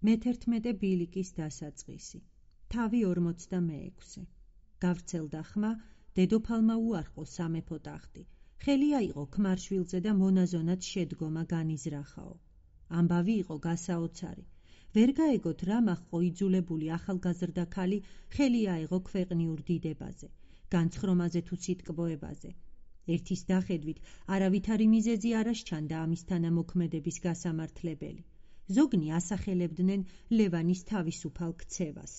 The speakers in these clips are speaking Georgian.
მე-11 ბილიკის დასაწყისი. თავი 46. გავრცელდა ხმა, დედოფალმა უარყო სამეფო ტახტი. ხელი აიღო ქმარშვილზე და მონაზონად შედგომა განიზრახაო. ამბავი იყო გასაოცარი. ვერ გაეგოთ რა მაჰყო იძულებული ახალგაზრდა ქალი ხელი აიღო ქვეყნიურ დიდებაზე, განცხრომაზე თუ სიტკბოებაზე. ერთის დახედვით არავითარი მიზეზი არ ასჩანდა ამის თანამოქმედების გასამართლებელი. ზოგნი ასახელებდნენ ლევანის თავისუფალ ქცევას,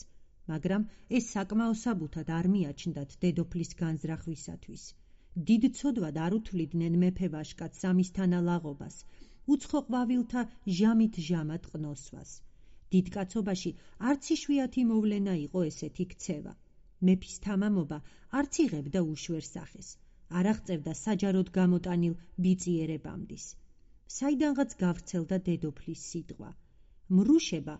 მაგრამ ეს საკმაო საბუთად არ მიაჩნდათ დედოფლის განზრახვისათვის. დიდ ცოდვად არ უთვლიდნენ მეფე ვაშკაცს ამის თანალაღობას, უცხო ყვავილთა ჟამით ჟამად ყნოსვას. დიდ კაცობაში არც იშვიათი მოვლენა იყო ესეთი ქცევა. მეფის თამამობა არც იღებდა უშვერ სახეს, არ აღწევდა საჯაროდ გამოტანილ ბიწიერებამდის. საიდანღაც გავრცელდა დედოფლის სიტყვა. მრუშება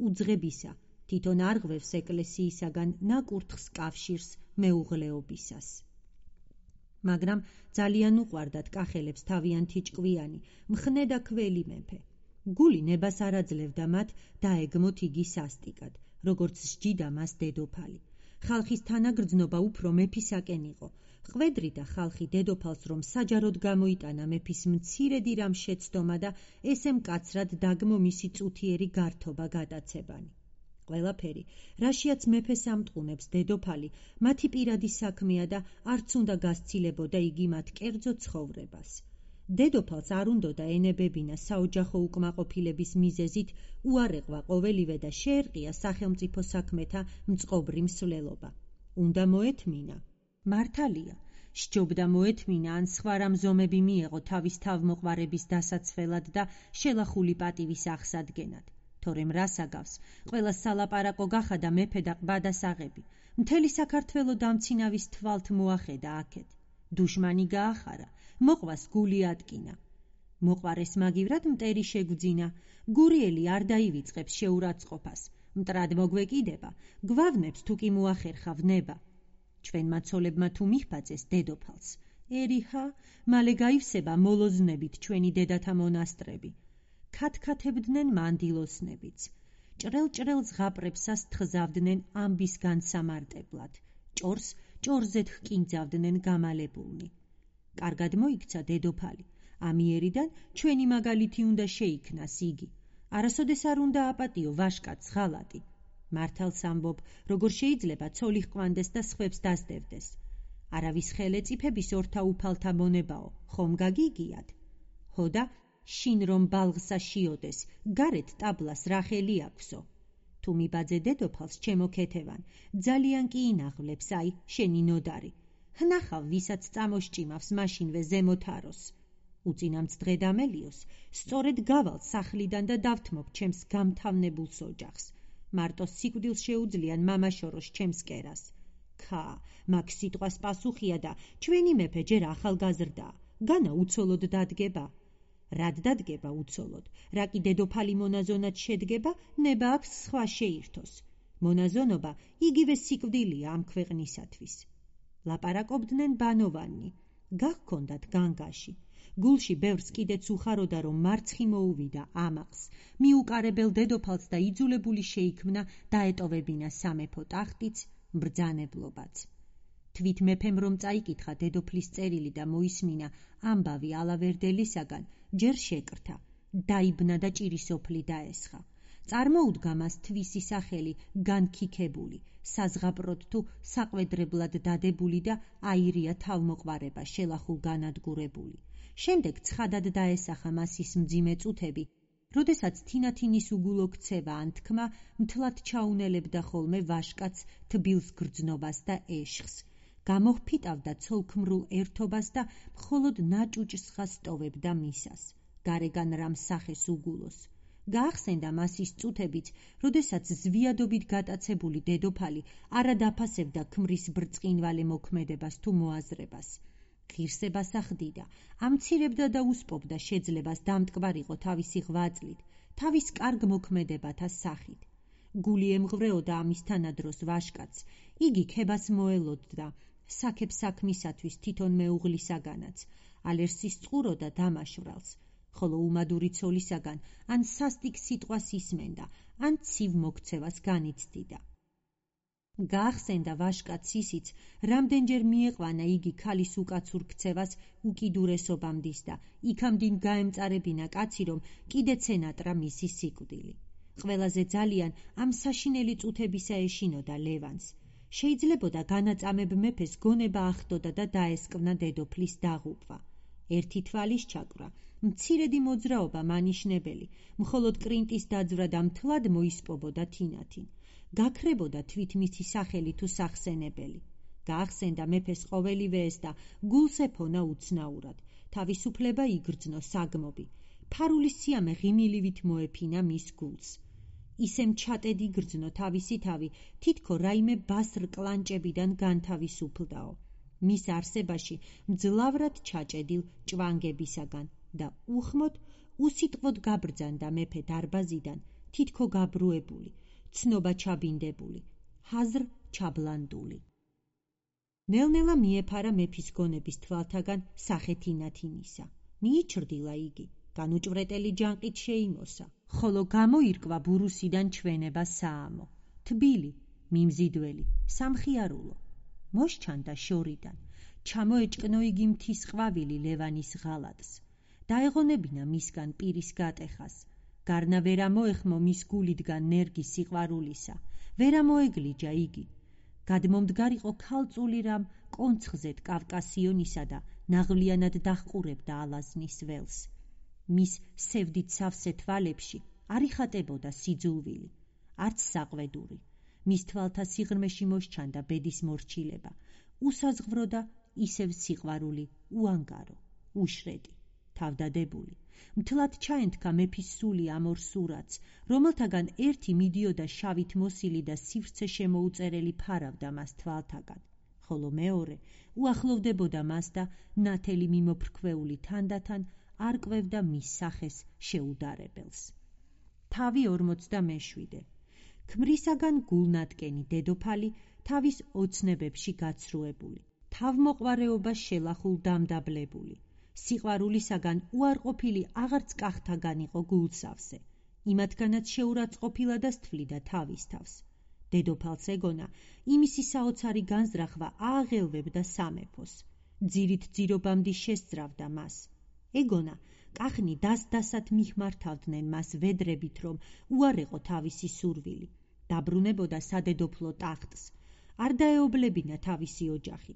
უძღებისა, თვითონ არღვევს ეკლესიისაგან ნაკურთხს კავშირს მეუღლეობისას. მაგრამ ძალიან უყვარდათ კახელებს თავიანთი ჭკვიანი, მხნე და ქველი მეფე. გული ნებას არ აძლევდა მათ დაეგმოთ იგი სასტიკად, როგორც სჯიდა მას დედოფალი. ხალხის თანაგრძნობა უფრო მეფისაკენ იყო. ხვედრიდა ხალხი დედოფალს, რომ საჯაროდ გამოიტანა მეფის მცირედი რამ შეცდომა და ესე მკაცრად დაგმო მისი წუთიერი გართობა გადაცებანი. ყველაფერი, რაშიაც მეფეს ამტყუნებს დედოფალი, მათი პირადი საქმეა და არც უნდა გასცილებოდა იგი მათ კერძო ცხოვრებას. დედოფალს არ უნდოდა ენებებინა საოჯახო უკმაყოფილების მიზეზით უარეყვა ყოველივე და შეერყია სახელმწიფო საქმეთა მწყობრი მსვლელობა. უნდა მოეთმინა. მართალია, სჯობდა მოეთმინა ან სხვა რამ ზომები მიეღო თავის თავმოყვარების დასაცველად და შელახული პატივის აღსადგენად. თორემ რას აგავს, ყველა სალაპარაკო გახადა მეფე და ყბადასაღები. მთელი საქართველო დამცინავის თვალთ მოახედა აქეთ. დუშმანი გაახარა, მოყვას გული ატკინა. მოყვარეს მაგივრად მტერი შეგვძინა, გურიელი არ დაივიწყებს შეურაცხყოფას, მტრად მოგვეკიდება, გვავნებს თუ კი მოახერხა ვნება. ჩვენ მაცოლებმა თუ მიჰბაძეს დედოფალს, ერიჰა, მალე გაივსება მოლოზნებით ჩვენი დედათა მონასტრები. ქათქათებდნენ მანდილოსნებიც. ჭრელ-ჭრელ ზღაპრებსას თხზავდნენ ამბის განსამარტებლად. ჭორს ჭორზედ ჰკინძავდნენ გამალებულნი. კარგად მოიქცა დედოფალი. ამიერიდან ჩვენი მაგალითი უნდა შეიქმნას იგი. არასოდეს არ უნდა აპატიო ვაშკაც ღალატი. მართალს ამბობ, როგორ შეიძლება ცოლი ჰყვანდეს და სხვებს დასდევდეს. არავის ხელეწიფების ორთა უფალთა მონებაო, ხომ გაგიგიათ? ჰოდა, შინ რომ ბალღსა შიოდეს, გარეთ ტაბლას რა ხელი აქვსო? თუ მიბაძე დედოფალს ჩემო ქეთევან, ძალიან კი ინაღვლებს, აი, შენი ნოდარი. ჰნახავ, ვისაც წამოშჭიმავს მაშინვე ზემოთაროს. უწინამც დღე დამელიოს, სწორედ გავალ სახლიდან და დავთმობ ჩემს გამთავნებულს ოჯახს. მარტო სიკვდილს შეუძლიან მამაშოროს ჩემს კერას. ქა, მაგ სიტყვას პასუხია და ჩვენი მეფე ჯერ ახალგაზრდაა, განა უცოლოდ დადგება. რად დადგება უცოლოდ? რა კი დედოფალი მონაზონად შედგება, ნება აქვს სხვა შეირთოს. მონაზონობა იგივე სიკვდილია ამ ქვეყნისათვის. ლაპარაკობდნენ ბანოვანი. გაგქონდათ განგაში. გულში ბევრს კიდეც უხაროდა, რომ მარცხი მოუვიდა ამაყს, მიუკარებელ დედოფალს და იძულებული შეიქმნა დაეტოვებინა სამეფო ტახტიც, ბრძანებლობაც. თვით მეფემ რომ წაიკითხა დედოფლის წერილი და მოისმინა ამბავი ალავერდელისაგან, ჯერ შეკრთა, დაიბნა და ჭირისოფლი დაესხა. წარმოუდგა მას თვისი სახელი განქიქებული, საზღაპროდ თუ საყვედრებლად დადებული და აირია თავმოყვარება შელახულ განადგურებული. შემდეგ ცხადად დაესახა მას ის მძიმე წუთები, როდესაც თინათინის უგულო ქცევა ან თქმა მთლად ჩაუნელებდა ხოლმე ვაშკაც თბილს გრძნობას და ეშხს. გამოჰფიტავდა ცოლქმრულ ერთობას და მხოლოდ ნაჭუჭსხას ტოვებდა მისას. გარეგან რამ სახეს უგულოს. გაახსენდა მას ის წუთებიც, როდესაც ზვიადობით გატაცებული დედოფალი არა დაფასებდა ქმრის ბრწყინვალე მოქმედებას თუ მოაზრებას. ღირსებას ახდიდა, ამცირებდა და უსპობდა შეძლებას დამტკბარიყო თავისი ღვაწლით, თავის კარგ მოქმედებათა სახით. გული ემღვრეოდა ამის თანადროს ვაშკაც, იგი ქებას მოელოდდა, საქებ საქმისათვის თვითონ მეუღლისაგანაც, ალერსის წყუროდა დამაშვრალს. ხოლო უმადური ცოლისაგან ან სასტიკ სიტყვას ისმენდა, ან ცივ მოქცევას განიცდიდა. გაახსენდა ვაჟკაცს ისიც, რამდენჯერ მieყვანა იგი ქალის უკაცურ ქცევას უკიდურესობამდის და იქამდინ გაემწარებინა კაცი, რომ კიდეც ენატრა მისი სიკვდილი. ყველაზე ძალიან ამ საშინელი წუთებისა ეშინოდა ლევანს. შეიძლებოდა განაწამებ მეფეს გონება ახდოდა და დაესკვნა დედოფლის დაღუპვა. ერთი თვალის ჩაკვრა, მცირედი მოძრაობა მანიშნებელი, მხოლოდ კრინტის დაძვრა და მთლად მოისპობოდა თინათინ. გაქრებოდა თვით მისი სახელი თუ სახსენებელი. გაახსენდა მეფეს ყოველივე ეს და გულს ეფონა უცნაურად. თავისუფლება იგრძნო საგმობი. ფარული სიამე ღიმილივით მოეფინა მის გულს. ისემ ჩატედი გრძნო თავისი თავი, თითქო რაიმე ბასრ კლანჭებიდან განთავისუფლდაო. მის არსებაში მძლავრად ჩაჭედილ ჭვანგებისაგან და უხმოდ უსიტყვოდ გაბრძანდა მეფე დარბაზიდან, თითქო გაბრუებული, ცნობა ჩაბინდებული, ჰაზრ ჩაბლანდული. ნელ-ნელა მიეფარა მეფის გონების თვალთაგან სახე თინათინისა. მიიჩრდილა იგი, განუჭვრეტელი ჯანყით შეიმოსა, ხოლო გამოირკვა ბურუსიდან ჩვენება საამო, თბილი, მიმზიდველი, სამხიარულო. მოსჩანდა შორიდან, ჩამოეჭკნო იგი მთის ყვავილი ლევანის ღალატს. დაეღონებინა მისგან პირის გატეხას. გარნა ვერ ამოეხმო მის გულიდან ნერგი სიყვარულისა, ვერ ამოეგლიჯა იგი. გადმომდგარიყო ქალწული რამ კონცხზედ კავკასიონისა და ნაღვლიანად დაჰყურებდა ალაზნის ველს. მის სევდით სავსე თვალებში არ იხატებოდა სიძულვილი, არც საყვედური. მის თვალთა სიღრმეში მოსჩანდა ბედის მორჩილება, უსაზღვრო და ისევ სიყვარული, უანგარო, უშრედი, თავდადებული. მთლად ჩაენთქა მეფის სული ამ ორ სურათს, რომელთაგან ერთი მიდიოდა შავით მოსილი და სივრცე შემოუწერელი ფარავდა მას თვალთაგან, ხოლო მეორე უახლოვდებოდა მას და ნათელი მიმოფრქვეული თანდათან არკვევდა მის სახეს შეუდარებელს. თავი 47. ქმრისაგან გულნატკენი დედოფალი თავის ოცნებებში გაცრუებული, თავმოყვარეობა შელახულ დამდაბლებული. სიყვარულისაგან უარყოფილი აღარც კახთაგან იყო გულსავსე, იმათგანაც შეურაცხყოფილა და სტვლიდა თავის თავს. დედოფალს ეგონა, იმისი საოცარი განზრახვა ააღელვებდა სამეფოს, ძირით ძირობამდი შესძრავდა მას. ეგონა, კახნი დას-დასად მიხმართავდნენ მას ვედრებით, რომ უარეყო თავისი სურვილი, დაბრუნებოდა სადედოფლო ტახტს, არ დაეობლებინა თავისი ოჯახი.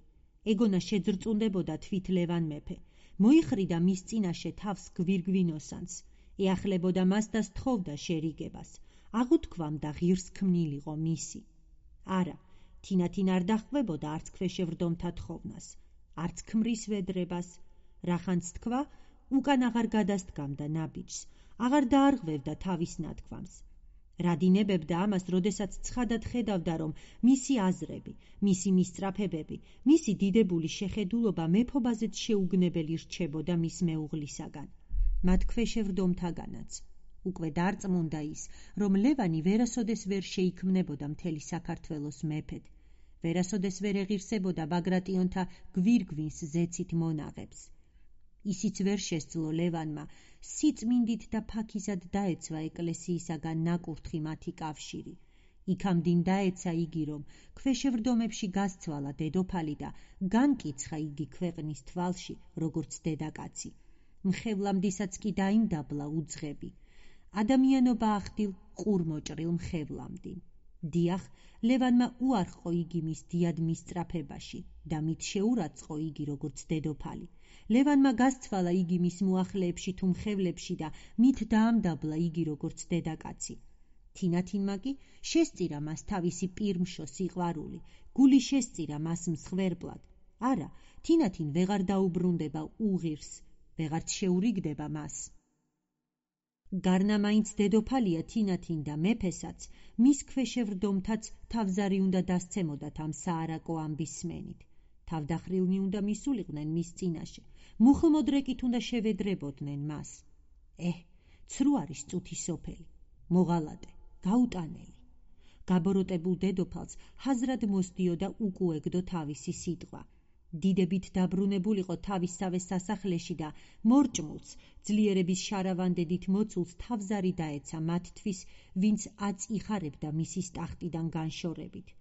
ეგონა შეძრწუნდებოდა თვით ლევან მეფე, მოიხრიდა მის წინაშე თავს გვირგვინოსანს, ეახლებოდა მას და სთხოვდა შერიგებას, აღუთქვამდა ღირს ქმნილიყო მისი. არა, თინათინ არ დაჰყვებოდა არც ქვეშევრდომთა თხოვნას, არც ქმრის ვედრებას, რახანც თქვა, უკან აღარ გადასდგამდა ნაბიჯს, აღარ დაარღვევდა თავის ნათქვამს. რადინებებდა ამას, როდესაც ცხადად ხედავდა, რომ მისი აზრები, მისი მისწრაფებები, მისი დიდებული შეხედულობა მეფობაზეც შეუგნებელი რჩებოდა მის მეუღლისაგან, მათ ქვეშევრდომთაგანაც. უკვე დარწმუნდა ის, რომ ლევანი ვერასოდეს ვერ შეიქმნებოდა მთელი საქართველოს მეფედ, ვერასოდეს ვერ ეღირსებოდა ბაგრატიონთა გვირგვინს ზეცით მონაღებს. ისიც ვერ შესძლო ლევანმა სიწმინდით და ფაქიზად დაეცვა ეკლესიისაგან ნაკურთხი მათი კავშირი. იქამდინ დაეცა იგი, რომ ქვეშევრდომებში გასცვალა დედოფალი და განკიცხა იგი ქვეყნის თვალში, როგორც დედაკაცი. მხევლამდისაც კი დაიმდაბლა უძღები. ადამიანობა ახდილ ყურმოჭრილ მხევლამდინ. დიახ, ლევანმა უარყო იგი მის დიად მისწრაფებაში და მით შეურაცხო იგი როგორც დედოფალი. ლევანმა გასცვალა იგი მის მოახლეებში თუ მხევლებში და მით დაამდაბლა იგი როგორც დედაკაცი. თინათინმა კი შესწირა მას თავისი პირმშო სიყვარული, გული შესწირა მას მსხვერპლად. არა, თინათინ ვეღარ დაუბრუნდება უღირს, ვეღარც შეურიგდება მას. გარნა მაინც დედოფალია თინათინ და მეფესაც, მის ქვეშევრდომთაც თავზარი უნდა დასცემოდათ ამ საარაკო ამბის სმენით. თავდახრილნი უნდა მისულიყვნენ მის წინაშე, მუხლმოდრეკით უნდა შევედრებოდნენ მას. ცრუ არის წუთი სოფელი, მოღალატე, გაუტანელი. გაბოროტებულ დედოფალს ჰაზრად მოსდიოდა უკუეგდო თავისი სიტყვა. დიდებით დაბრუნებულიყო თავისსავე სასახლეში და მორჭმულს, ძლიერების შარავანდედით მოცულს თავზარი დაეცა მათთვის, ვინც აწ იხარებდა მისის ტახტიდან განშორებით.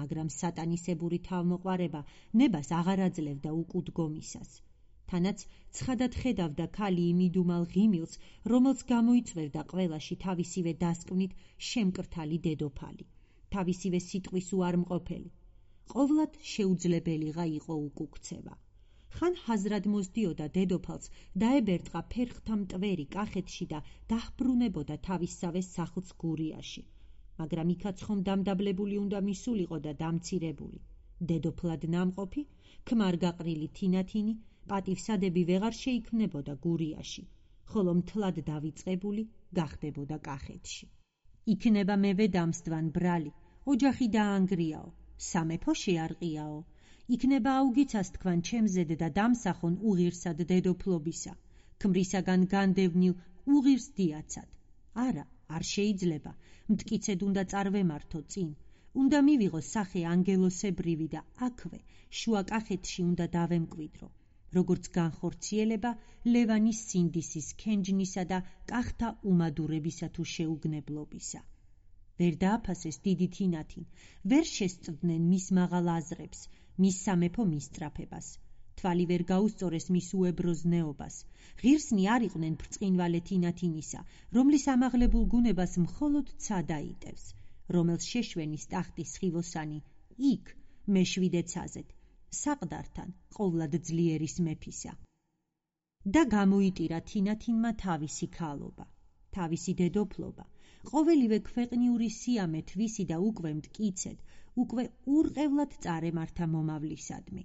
მაგრამ სატანისებური თავმოყვარება ნებას აღარ აძლევდა უკუდგომისას. თანაც ცხადად ხედავდა ქალი იმ იდუმალ ღიმილს, რომელს გამოიწვევდა ყველაში თავისივე დასკვნით შემკრთალი თავისივე სიტყვის უარმყოფელი. ყოვლად შეუძლებელიღა იყო უკუქცევა. ხან ჰაზრად მოსდიოდა დედოფალს, დაებერტყა ფერხთა მტვერი კახეთში და დაჰბრუნებოდა თავისსავე სახლს გურიაში. მაგრამ იქაც ხომ დამდაბლებული უნდა მისულიყო და დამცირებული. დედოფლად ნამყოფი, ქმარ-გაყრილი თინათინი, პატივსადები ვეღარ შეიქმნებოდა გურიაში, ხოლო მთლად დავიწყებული გახდებოდა კახეთში. იქნება მევე დამსდვან ბრალი, ოჯახი დაანგრიაო, სამეფო შეარყიაო, იქნება აუგიცას თქვან ჩემზედ და დამსახონ უღირსად დედოფლობისა, ქმრისაგან განდევნილ უღირს დიაცად. არა, არ შეიძლება, მტკიცედ უნდა წარვემართო წინ, უნდა მივიღო სახე ანგელოსებრივი და აქვე, შუა კახეთში უნდა დავემკვიდრო, როგორც განხორციელება ლევანის სინდისის ქენჯნისა და კახთა უმადურებისა თუ შეუგნებლობისა. ვერ დააფასეს დიდი თინათინ, ვერ შესწვდნენ მის მაღალ აზრებს, მის სამეფო მისწრაფებას, თვალი ვერ გაუსწორეს მის უებროზნეობას, ღირსნი არ იყვნენ ბრწყინვალე თინათინისა, რომლის ამაღლებულ გუნებას მხოლოდ ცა დაიტევს, რომელს შეშვენის ტახტის სხივოსანი იქ, მეშვიდე ცაზეთ, საყდართან, ყოვლად ძლიერის მეფისა. და გამოიტირა თინათინმა თავისი ქალობა, თავისი დედოფლობა, ყოველივე ქვეყნიური სიამე თვისი და უკვე მტკიცედ, უკვე ურყევლად წარემართა მომავლისადმი.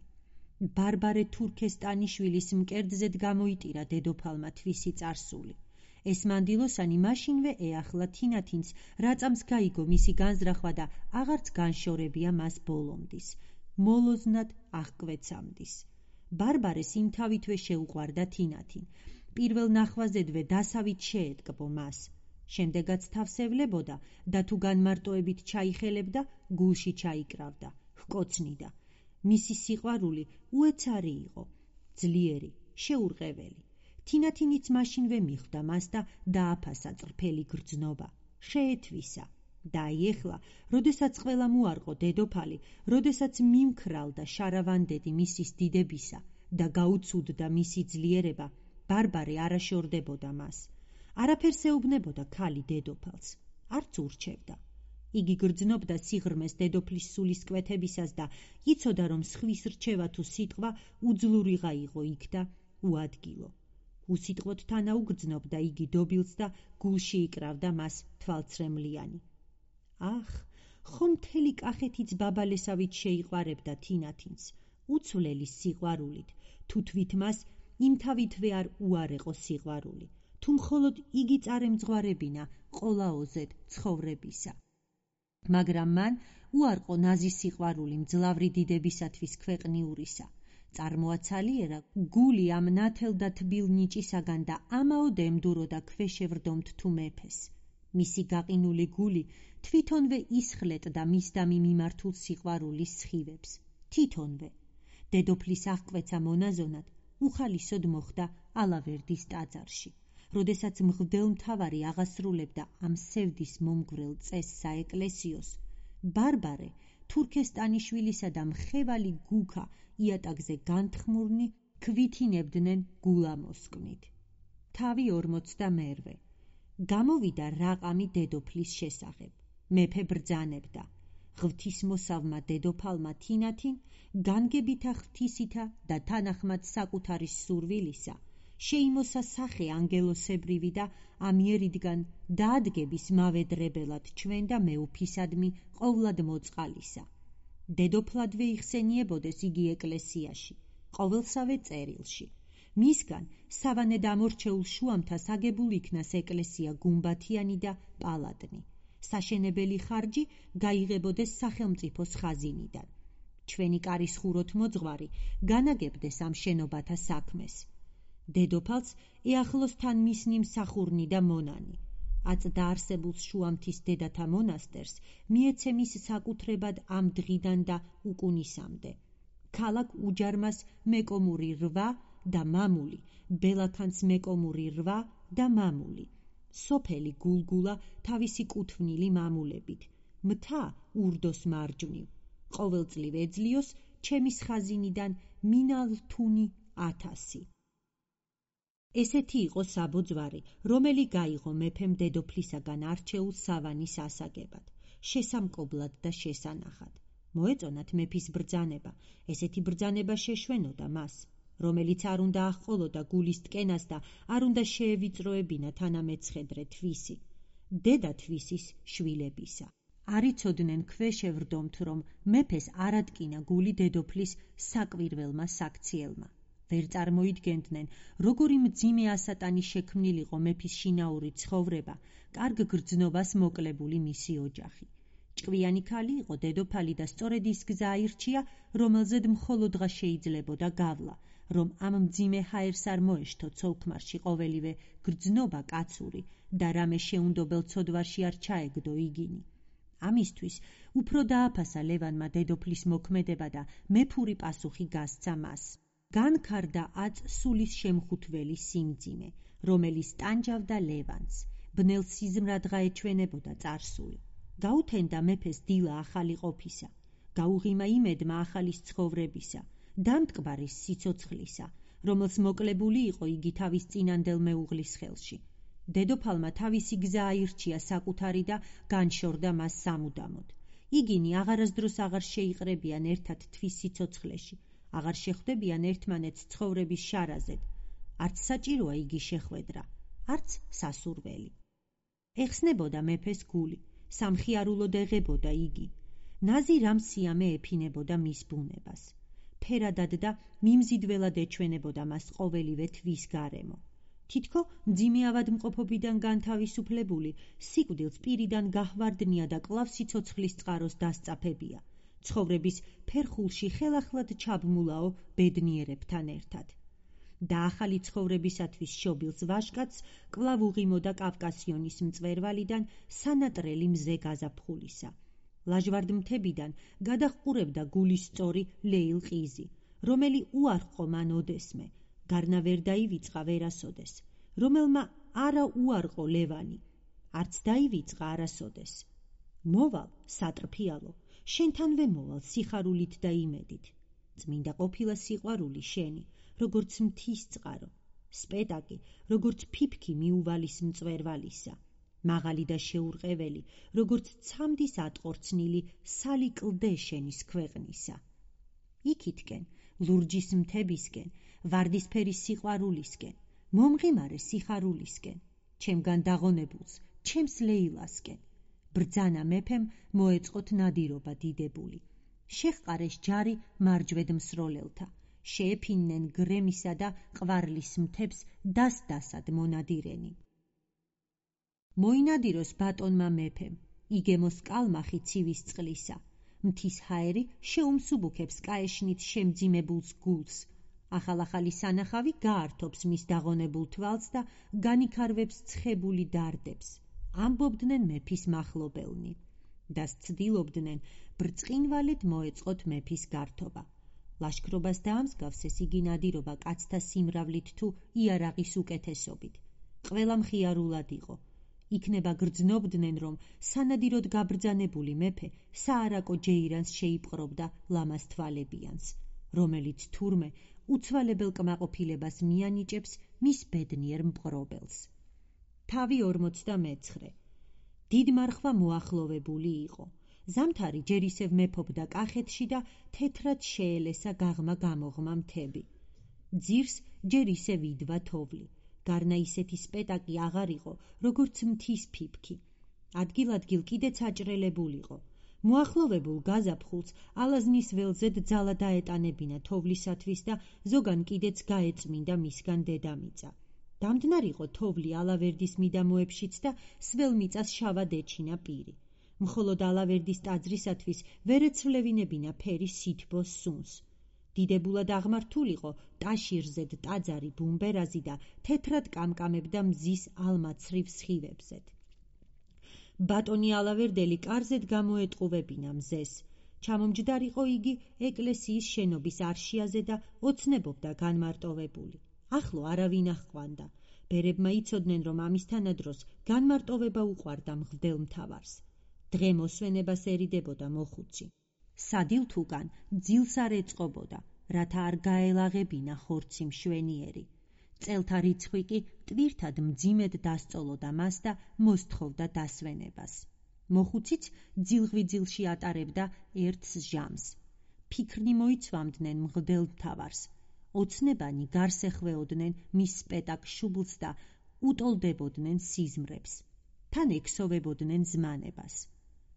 ბარბარე თურქესტანიშვილის მკერდზედ გამოიტირა დედოფალმა თვისი წარსული. ეს მანდილოსანი მაშინვე ეახლა თინათინს, რაწამს გაიგო მისი განზრახვა და აღარც განშორებია მას ბოლომდის, მოლოზნად აღკვეცამდის. ბარბარეს იმთავითვე შეუყვარდა თინათინ, პირველ ნახვაზედვე დასავით შეეტკბო მას. შემდეგაც თავს ევლებოდა და თუ განმარტოებით ჩაიხელებდა, გულში ჩაიკრავდა, ჰკოცნიდა. მისი სიყვარული უეცარი იყო, ძლიერი, შეურყეველი. თინათინიც მაშინვე მიხვდა მას და დააფასა წრფელი გრძნობა, შეეთვისა. და ეხლა, როდესაც ყველამ უარყო დედოფალი, როდესაც მიმქრალდა შარავანდედი მისის დიდებისა და გაუცუდდა მისი ძლიერება, ბარბარე არაშორდებოდა მას. არაფერს ეუბნებოდა ქალი დედოფალს, არც ურჩევდა. იგი გრძნობდა სიღრმეს დედოფლის სულისკვეთებისას და იცოდა, რომ სხვის რჩევა თუ სიტყვა უძლურიღა იყო იქ და უადგილო. უსიტყვოდ თანაუგრძნობდა იგი დობილს და გულში იკრავდა მას თვალცრემლიანი. ახ, ხომ მთელი კახეთიც ბაბალესავით შეიყვარებდა თინათინს, უცვლელის სიყვარულით, თუ თვით მას იმთავითვე არ უარეყო სიყვარული, თუ მხოლოდ იგი წარემძღვარებინა ყოლაოზედ ცხოვრებისა. მაგრამ მან უარყო ნაზი სიყვარული მძლავრი დიდებისათვის ქვეყნიურისა. წარმოაცალიერა გული ამ ნათელ და თბილ ნიჭისაგან და ამაოდ ემდურო და ქვეშევრდომთ თუ მეფეს. მისი გაყინული გული თვითონვე ისხლეტდა მისდამი მიმართულ სიყვარულის სხივებს, თვითონვე. დედოფლის აღკვეცა მონაზონად უხალისოდ მოხდა ალავერდის ტაძარში, როდესაც მღვდელმთავარი აღასრულებდა ამ სევდის მომგვრელ წესს საეკლესიოს. ბარბარე თურქესტანიშვილისა და მხევალი გუქა იატაკზე განთხმურნი ქვითინებდნენ გულამოსკვნით. თავი 42. გამოვიდა რაყამი დედოფლის შესახებ. მეფე ბრძანებდა. ღვთისმოსავმა დედოფალმა თინათინ, განგებითა ღვთისითა და თანახმად საკუთარის სურვილისა, შეიმოსა სახე ანგელოსებრივი და ამიერიდან დაადგების მავედრებელად ჩვენ და მეუფისადმი ყოვლად მოწყალისა. დედოფლადვე იხსენიებოდეს იგი ეკლესიაში, ყოველსავე წერილში. მისგან სავანე დამორჩეულ შუამთას აგებულ იქნას ეკლესია გუმბათიანი და პალატნი. საშენებელი ხარჯი გაიღებოდეს სახელმწიფოს ხაზინიდან. ჩვენი კარის ხუროთ მოძღვარი განაგებდეს ამ შენობათა საქმეს. დედოფალს ეახლოს თან მისნი მსახურნი და მონანი. აწ დაარსებულ შუამთის დედათა მონასტერს მიეცემის საკუთრებად ამ დღიდან და უკუნისამდე. ქალაქ უჯარმას მეკომური 8 და მამული, ბელაქანს მეკომური 8 და მამული, სოფელი გულგულა თავისი კუთვნილი მამულებით, მთა ურდოს მარჯვნივ, ყოველწლივ ეძლიოს ჩემის ხაზინიდან მინალთუნი 1000. ესეთი იყო საბოძვარი, რომელი გაიღო მეფემ დედოფლისაგან არჩეულ სავანის ასაგებად, შესამკობლად და შესანახად. მოეწონათ მეფის ბრძანება, ესეთი ბრძანება შეშვენოდა მას, რომელიც არ უნდა აღყოლოდა გულის ტკენას და არ უნდა შეევიწროებინა თანამეცხედრე თვისი, დედა თვისის შვილებისა. არ იცოდნენ ქვეშევრდომთ, რომ მეფეს არ ატკინა გული დედოფლის საკვირველმა საქციელმა. ვერ წარმოიდგენდნენ, როგორი მძიმე ასატანი შექმნილიყო მეფის შინაური ცხოვრება, კარგ გრძნობას მოკლებული მისი ოჯახი. ჭკვიანი ქალი იყო დედოფალი და სწორედ ის გზა აირჩია, რომელზედ მხოლოდღა შეიძლებოდა გავლა, რომ ამ მძიმე ჰაერს არ მოეშთო ცოლქმარში ყოველივე გრძნობა კაცური და რამე შეუნდობელ ცოდვარში არ ჩაეგდო იგინი. ამისთვის უფრო დააფასა ლევანმა დედოფლის მოქმედება და მეფური პასუხი გასცა მას. განქარდა აწ სულის შემხუთველი სიმძიმე, რომელიც ტანჯავდა ლევანს, ბნელ სიზმრად გაეჩვენებოდა წარსული. გაუთენდა მეფეს დილა ახალი ყოფისა, გაუღიმა იმედმა ახალის ცხოვრებისა, დამტკბარის სიცოცხლისა, რომელს მოკლებული იყო იგი თავის წინანდელ მეუღლის ხელში. დედოფალმა თავისი გზა აირჩია საკუთარი და განშორდა მას სამუდამოდ. იგინი აღარასდროს აღარ შეიყრებიან ერთად თვის სიცოცხლეში, აღარ შეხვდებიან ერთმანეთს ცხოვრების შარაზედ. არც საჭიროა იგი შეხვედრა, არც სასურველი. ეხსნებოდა მეფეს გული, სამხიარულოდ ეღებოდა იგი. ნაზი რამ სიამე ეფინებოდა მის ბუნებას. ფერადად და მიმზიდველად ეჩვენებოდა მას ყოველივე თვის გარემო. თითქო მძიმე ავადმყოფობიდან განთავისუფლებული, სიკვდილს პირიდან გაჰვარდნია და კვლავ სიცოცხლის წყაროს დასწაფებია. ცხოვრების ფერხულში ხელახლად ჩაბმულაო ბედნიერებთან ერთად. და ახალი ცხოვრებისათვის შობილს ვაჟკაცს კვლავ უღიმოდა კავკასიონის მწვერვალიდან სანატრელი მზე გაზაფხულისა. ლაჟვარდ მთებიდან გადაჰყურებდა გულის სწორი ლეილყიზი, რომელი უარყო მან ოდესმე, გარნა ვერ დაივიწყა ვერასოდეს, რომელმა არა უარყო ლევანი, არც დაივიწყა არასოდეს. მოვალ, სატრფიალო, შენთანვე მოვალ სიხარულით და იმედით. წმინდა ყოფილა სიყვარული შენი, როგორც მთის წყარო, სპეტაკი, როგორც ფიფქი მიუვალის მწვერვალისა, მაღალი და შეურყეველი, როგორც ცამდის ატყორცნილი სალი კლდე შენის ქვეყნისა. იქითკენ, ლურჯის მთებისკენ, ვარდისფერი სიყვარულისკენ, მომღიმარე სიხარულისკენ, ჩემგან დაღონებულს, ჩემს ლეილასკენ. ბრძანა მეფემ მოეწყოთ ნადირობა დიდებული. შეჰყარეს ჯარი მარჯვედ მსროლელთა, შეეფინნენ გრემისა და ყვარლის მთებს დასდასად მონადირენი. მოინადიროს ბატონმა მეფემ, იგემოს კალმახი ცივის წყლისა, მთის ჰაერი შეუმსუბუქებს კაეშნით შემძიმებულს გულს, ახალ-ახალი სანახავი გაართობს მის დაღონებულ თვალს და განიქარვებს ცხებული დარდებს. ამბობდნენ მეფის მახლობელნი და ცდილობდნენ ბრწყინვალედ მოეწყოთ მეფის გართობა. ლაშქრობას დაამსგავსეს იგი ნადირობა კაცთა სიმრავლით თუ იარაღის უკეთესობით. ყველა მხიარულად იყო. იქნება გრძნობდნენ, რომ სანადიროდ გაბრძანებული მეფე საარაკო ჯეირანს შეიპყრობდა ლამას თვალებიანს, რომელიც თურმე უცვალებელ კმაყოფილებას მიანიჭებს მის ბედნიერ მპყრობელს. თავი 49. დიდმარხვა მოახლოვებული იყო. ზამთარი ჯერ ისევ მეფობდა კახეთში და თეთრად შეელესა გაღმა გამოღმა მთები. ძირს ჯერ ისევ იდვა თოვლი. გარნა ისეთი სპეტაკი აღარ იყო, როგორც მთის ფიფქი. ადგილ-ადგილ კიდეც აჭრელებულიყო. მოახლოვებულ გაზაფხულს ალაზნის ველზედ ძალა დაეტანებინა თოვლისათვის და ზოგან კიდეც გაეწმინდა მისგან დედამიწა. დამდნარიყო თოვლი ალავერდის მიდამოებშიც და სველ მიწას შავად ეჩინა პირი. მხოლოდ ალავერდის ტაძრისათვის ვერ ეცვლევინებინა ფერი სითბოს სუნს. დიდებულად აღმართულიყო ტაშირზედ ტაძარი ბუმბერაზი და თეთრად კამკამებდა მზის ალმაცრივ სხივებზედ. ბატონი ალავერდელი კარზედ გამოეტყუვებინა მზეს. ჩამომჯდარიყო იგი ეკლესიის შენობის არშიაზე და ოცნებობდა განმარტოვებული. ახლო არავინ აღყვანდა. ბერებმა იცოდნენ, რომ ამისთანადროს განმარტოვება უყვარდა მღვდელ მთავარს. დღე მოსვენებასერიდებოდა მოხუცი. სადილთუგან ძილს არ ეწყობოდა, რათა არ გაელაღებინა ხორცი მშვენიერი. წელთა რიცხვი კი ტვირთად მძიმედ დასწოლოდა მას და მოსთხოვდა დასვენებას. მოხუციც ძილღვიძილში ატარებდა ერთს ჟამს. ფიქრნი მოიცვამდნენ მღვდელ მთავარს. ოცნებანი გარს ეხვეოდნენ მის სპეტაკ შუბლს და უტოლდებოდნენ სიზმრებს. თან ექსოვებოდნენ ზმანებას.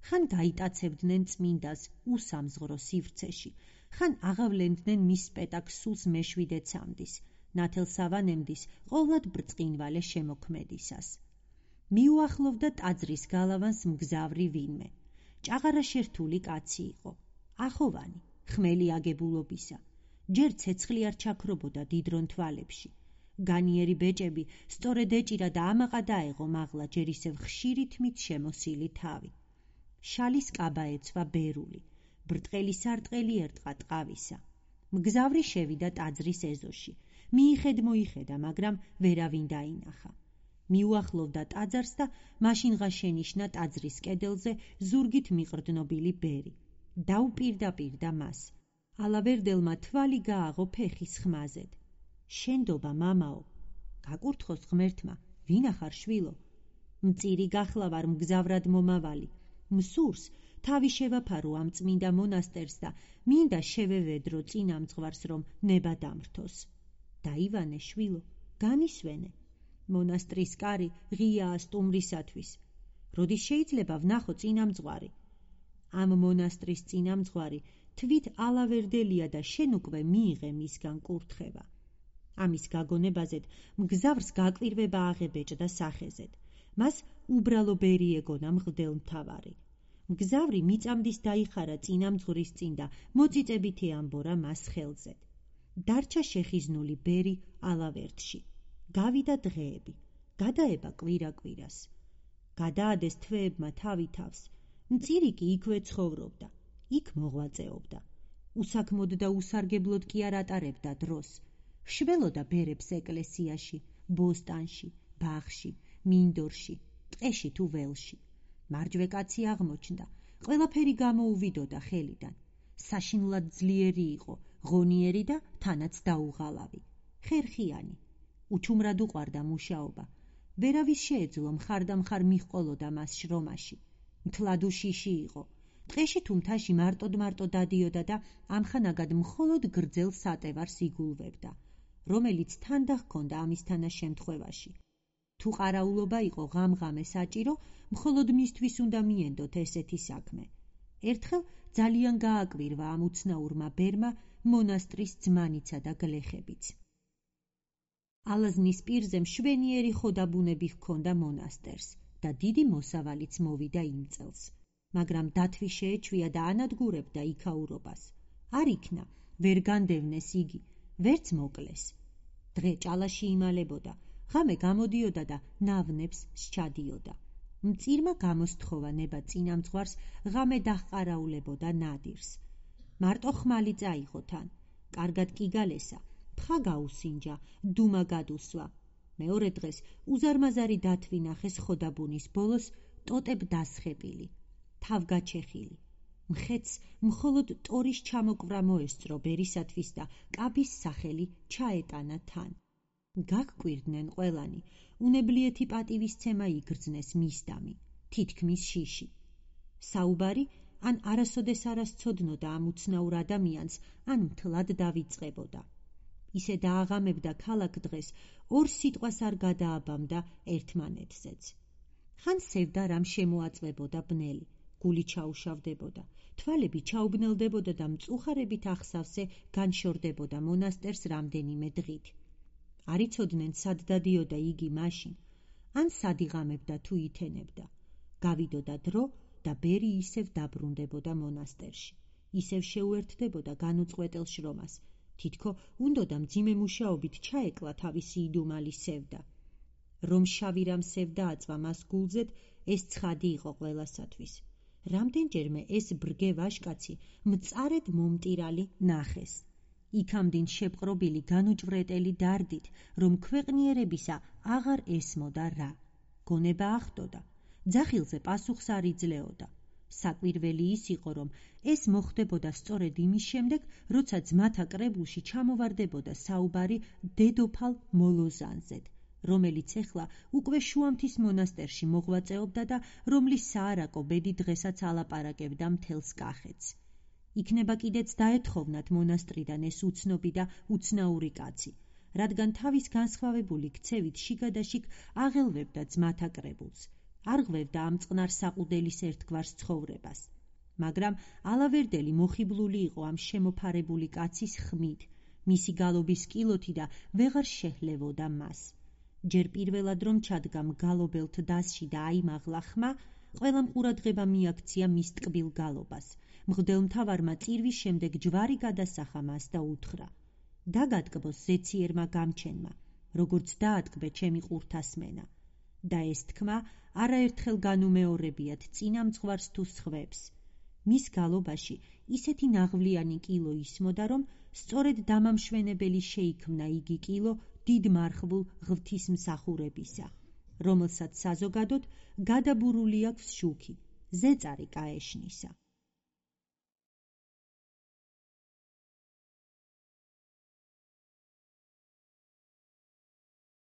ხან გაიტაცებდნენ წმინდას უსამზღრო სივრცეში, ხან აღავლენდნენ მის სპეტაკს სულს მეშვიდე ცამდის, ნათელსავანემდის ყოვლად ბრწყინვალე შემოქმედისას. მიუახლოვდა ტაძრის გალავანს მგზავრი ვინმე. ჭაღარა შერთული კაცი იყო, ახოვანი, ხმელი აგებულობისა. ჯერ ცეცხლი არ ჩაქრობოდა დიდრონ თვალებში. განიერი ბეჭები სწორედ ეჭირა და ამაყა დაეღო მაღლა ჯერ ისევ ხშირი თმით შემოსილი თავი. შალის კაბა ეცვა ბერული, ბრტყელი სარტყელი ერტყა ტყავისა. მგზავრი შევიდა ტაძრის ეზოში. მიიხედ-მოიხედა, მაგრამ ვერავინ დაინახა. მიუახლოვდა ტაძარს და მაშინღა შენიშნა ტაძრის კედელზე ზურგით მიყრდნობილი ბერი. დაუპირდაპირდა მას. ალავერდელმა თვალი გააღო ფეხის ხმაზედ. შენდობა, მამაო, გაკურთხოს ღმერთმა, ვინახარ შვილო? მწირი გახლა ვარ მგზავრად მომავალი. მსურს თავი შევაფარო ამ წმინდა მონასტერს და მინდა შევევედრო წინამძღვარს, რომ ნება დამრთოს. დაივანე შვილო, განისვენე. მონასტრის კარი ღიაა სტუმრისათვის. როდის შეიძლება ვნახო წინამძღვარი? ამ მონასტრის წინამძღვარი თვით ალავერდელია და შენ უკვე მიიღე მისგან კურთხება. ამის გაგონებაზედ მგზავრს გაკვირვება აღებეჭდა სახეზედ. მას უბრალო ბერი ეგონა მღვდელ მთავარი. მგზავრი მიწამდის დაიხარა წინამძღვრის წინ და მოწიწებით ეამბორა მას ხელზედ. დარჩა შეხიზნული ბერი ალავერდში. გავიდა დღეები, გადაება კვირა-კვირას. გადაადეს თვეებმა თავი თავს. მწირი კი იქვე ცხოვრობდა, იქ მოღვაწეობდა. უსაქმოდ და უსარგებლოდ კი არ ატარებდა დროს. შველოდა ბერებს ეკლესიაში, ბოსტანში, ბაღში, მინდორში, ტყეში თუ ველში. მარჯვე კაცი აღმოჩნდა, ყველაფერი გამოუვიდოდა ხელიდან. საშინლად ძლიერი იყო, ღონიერი და თანაც დაუღალავი. ხერხიანი. უჩუმრად უყვარდა მუშაობა. ვერავის შეეძლო მხარდამხარ მიჰყოლოდა მას შრომაში. მთლად უშიში იყო. ტყეში თუ მთაში მარტოდ დადიოდა და ამხანაგად მხოლოდ გრძელ სატევარს იგულვებდა, რომელიც თან და ჰქონდა ამისთანა შემთხვევაში. თუ ყარაულობა იყო ღამ-ღამე საჭირო, მხოლოდ მისთვის უნდა მიენდოთ ესეთი საქმე. ერთხელ ძალიან გააკვირვა ამ უცნაურმა ბერმა მონასტრის ძმანიცა და გლეხებიც. ალაზნის პირზე მშვენიერი ხოდაბუნები ჰქონდა მონასტერს და დიდი მოსავალიც მოვიდა იმ წელს. მაგრამ დათვი შეეჩვია და ანადგურებდა იქაურობას. არ იქნა, ვერ განდევნეს იგი, ვერც მოკლეს. დღე ჭალაში იმალებოდა, ღამე გამოდიოდა და ნავნებს სჩადიოდა. მწირმა გამოსთხოვა ნება წინამძღვარს, ღამე დაჰყარაულებოდა ნადირს. მარტო ხმალი წაიღო თან, კარგად კი გალესა, ფხა გაუსინჯა, დუმა გადუსვა. მეორე დღეს უზარმაზარი დათვი ნახეს ხოდაბუნის ბოლოს, ტოტებ დასხებილი, თავგაჩეხილი. მხეცს მხოლოდ ტორის ჩამოკვრა მოესწრო ბერისათვის და კაბის სახელი ჩაეტანა თან. გაგკვირდნენ ყველანი, უნებლიეთი პატივისცემა იგრძნეს მისდამი, თითქმის შიში. საუბარი ან არასოდეს არასცოდნოდა ამ უცნაურ ადამიანს, ან მთლად დავიწყებოდა. ისე დააღამებდა ქალაქ დღეს, ორ სიტყვას არ გადააბამდა ერთმანეთზეც. ხან სევდა რამ შემოაწვებოდა ბნელი, გული ჩაუშავდებოდა, თვალები ჩაუბნელდებოდა და მწუხარებით ახსავსე განშორდებოდა მონასტერს რამდენიმე დღით. არ იცოდნენ სად დადიოდა იგი მაშინ, ან სად იღამებდა თუ ითენებდა. გავიდოდა დრო და ბერი ისევ დაბრუნდებოდა მონასტერში, ისევ შეუერთდებოდა განუწყვეტელ შრომას. თითქო უნდოდა მძიმე მუშაობით ჩაეკლა თავისი იდუმალი სევდა. რომ შავი რამ სევდა აწვა მას გულზედ, ეს ცხადი იყო ყველასათვის. რამდენჯერმე ეს ბრგე ვაჟკაცი მწარედ მომტირალი ნახეს. იქამდინ შეპყრობილი განუჭვრეტელი დარდით, რომ ქვეყნიერებისა აღარ ესმოდა რა. გონება ახტოდა, ძახილზე პასუხს არ იძლეოდა. საკვირველი ის იყო, რომ ეს მოხდებოდა სწორედ იმის შემდეგ, როცა ძმათა კრებულში ჩამოვარდებოდა საუბარი დედოფალ მოლოზანზედ, რომელიც ეხლა უკვე შუამთის მონასტერში მოღვაწეობდა და რომლის საარაკო ბედი დღესაც ალაპარაკებდა მთელს კახეთს. იქნება კიდეც დაეთხოვნათ მონასტრიდან ეს უცნობი და უცნაური კაცი, რადგან თავის განსხვავებული ქცევით შიგადაშიგ აღელვებდა ძმათა კრებულს, არ ღვევდა ამ წყნარ საყუდელის ერთგვარს ცხოვრებას. მაგრამ ალავერდელი მოხიბლული იყო ამ შემოფარებული კაცის ხმით, მისი გალობის კილოთი და ვეღარ შეჰლევოდა მას. ჯერ პირველად რომ ჩადგა მგალობელთ დასში და აიმაღლა ხმა, ყველამ ყურადღება მიაქცია მის ტკბილ გალობას. მღვდელმთავარმა წირვის შემდეგ ჯვარი გადასახა მას და უთხრა: დაგატკბოს ზეციერმა გამჩენმა, როგორც დაატკბე ჩემი ყურთასმენა. და ეს თქმა არაერთხელ განუმეორებიათ წინამძღვარს თუ სხვებს. მის გალობაში ისეთი ნაღვლიანი კილო ისმოდა, რომ სწორედ დამამშვენებელი შეიქმნა იგი კილო დიდ მარხვულ ღვთისმსახურებისა, რომელსაც საზოგადოდ გადაბურული აქვს შუქი, ზეწარი კაეშნისა.